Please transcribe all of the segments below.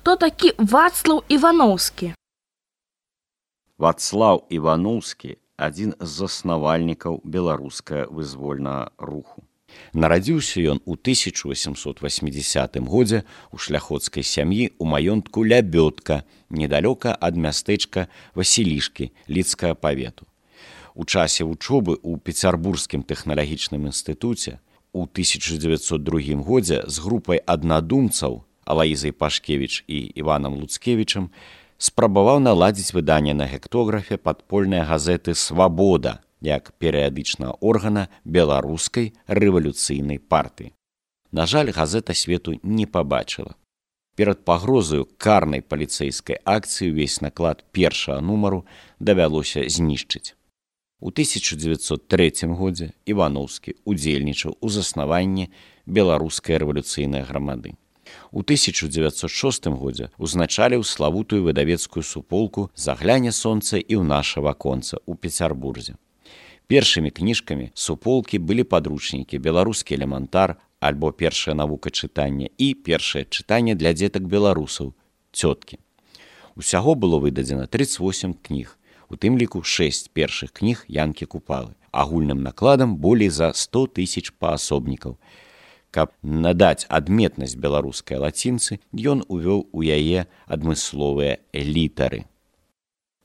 хто такі Вацлаў Іваноўскі? Вацлаў Іваноўскі – адзін з заснавальнікаў беларускага вызвольнага руху. Нарадзіўся ён у 1880 годзе ў шляхоцкай сям'і ў маёнтку Лябёдка, недалёка ад мястэчка Васілішкі Лідскага павету. У часе вучобы ў Пецярбургскім тэхналагічным інстытуце у 1902 годзе з групай аднадумцаў Алаізай Пашкевіч і Іванам Луцкевічам спрабаваў наладзіць выданне на гектографе падпольнай газеты «Свабода» як перыядычнага органа беларускай рэвалюцыйнай партыі. На жаль, газета свету не пабачыла. Перад пагрозаю карнай паліцэйскай акцыі ўвесь наклад першага нумару давялося знішчыць. У 1903 годзе Іваноўскі удзельнічаў у заснаванні беларускай рэвалюцыйнай грамады. У 1906 годзе узначаліў славутую выдавецкую суполку «Загляне сонца і ў наша ваконца» у Пецярбурзе. Першымі кніжкамі суполкі былі падручнікі «Беларускі элементар» альбо «Першая навука чытання» і «Першае чытанне для дзетак беларусаў» «Цёткі». Усяго было выдадзена 38 кніг, у тым ліку 6 першых кніг Янкі Купалы, агульным накладам болей за 100 000 паасобнікаў. Каб надаць адметнасць беларускай лацінцы, ён увёў у яе адмысловыя літары.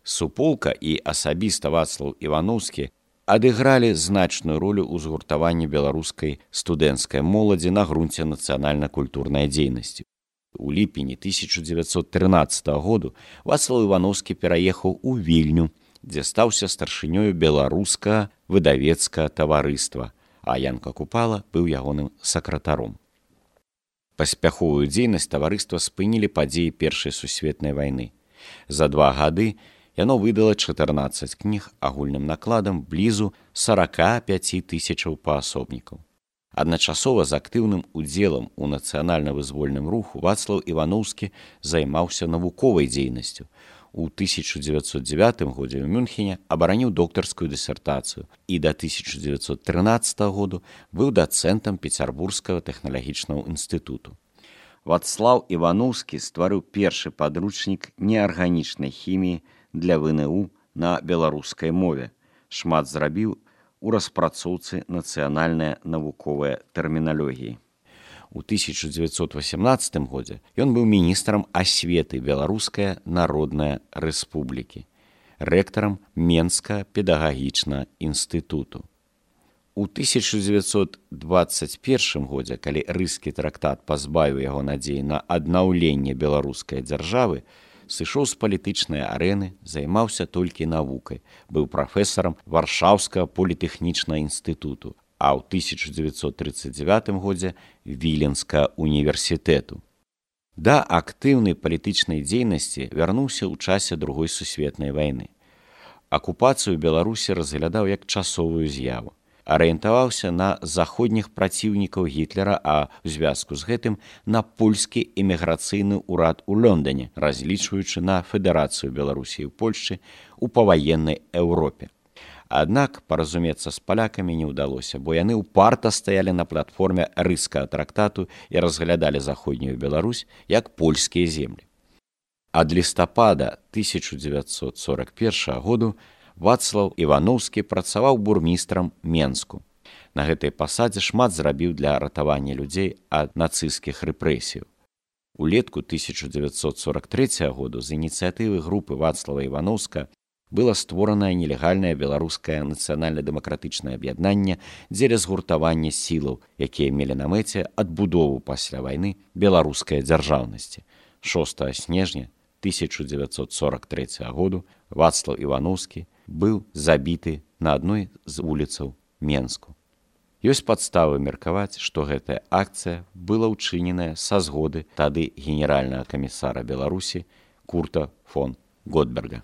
Суполка і асабіста Вацлаў Іваноўскі адыгралі значную ролю ў згуртаванні беларускай студэнцкай моладзі на грунце нацыянальна-культурнай дзейнасці. У ліпені 1913 году Вацлаў Іваноўскі пераехаў у Вільню, дзе стаўся старшынёю беларускага выдавецкага таварыства, а Янка Купала быў ягоным сакратаром. Паспяховую дзейнасць таварыства спынілі падзеі Першай сусветнай вайны. За 2 гады яно выдала 14 кніг агульным накладам блізу 45 000 паасобнікаў. Адначасова з актыўным удзелам у нацыянальна-вызвольным руху Вацлаў Іваноўскі займаўся навуковай дзейнасцю. У 1909 годзе ў Мюнхене абараніў доктарскую дысертацыю і да 1913 году быў дацэнтам Пецярбургскага тэхналагічнага інстытуту. Вацлаў Іваноўскі стварыў першы падручнік неарганічнай хіміі для ВНУ на беларускай мове. Шмат зрабіў у распрацоўцы нацыянальнай навуковай тэрміналогіі. У 1918 годзе ён быў міністрам асветы Беларускай Народнай Рэспублікі, рэктарам Менскага педагагічнага інстытуту. У 1921 годзе, калі Рыскі трактат пазбавіў яго надзеі на аднаўленне беларускай дзяржавы, сышоў з палітычнай арэны, займаўся толькі навукай, быў прафесарам Варшаўскага політэхнічнага інстытуту, а ў 1939 годзе Віленскага універсітэту. Да актыўнай палітычнай дзейнасці вярнуўся ў часе Другой сусветнай вайны. Акупацыю Беларусі разглядаў як часовую з'яву. Арыентаваўся на заходніх праціўнікаў Гітлера, а ў звязку з гэтым на польскі эміграцыйны ўрад у Лондоне, разлічваючы на федэрацыю Беларусі і Польшчы ў паваеннай Еўропе. Аднак паразумецца з палякамі не ўдалося, бо яны ўпарта стаялі на платформе Рыскага трактату і разглядалі заходнюю Беларусь як польскія землі. Ад лістапада 1941 году Вацлаў Іваноўскі працаваў бурмістрам Менску. На гэтай пасадзе шмат зрабіў для ратавання людзей ад нацысцкіх рэпрэсіяў. Улетку 1943 году з ініцыятывы групы Вацлава Іваноўска было створанае нелегальнае беларускае нацыянальна-дэмакратычнае аб'яднанне дзеля згуртавання сілаў, якія мелі на мэце адбудову пасля вайны беларускай дзяржаўнасці. 6 снежня 1943 году Вацлаў Іваноўскі быў забіты на адной з вуліцаў Менску. Ёсць падставы меркаваць, што гэтая акцыя была ўчыненая са згоды тады генеральнага камісара Беларусі Курта фон Готберга.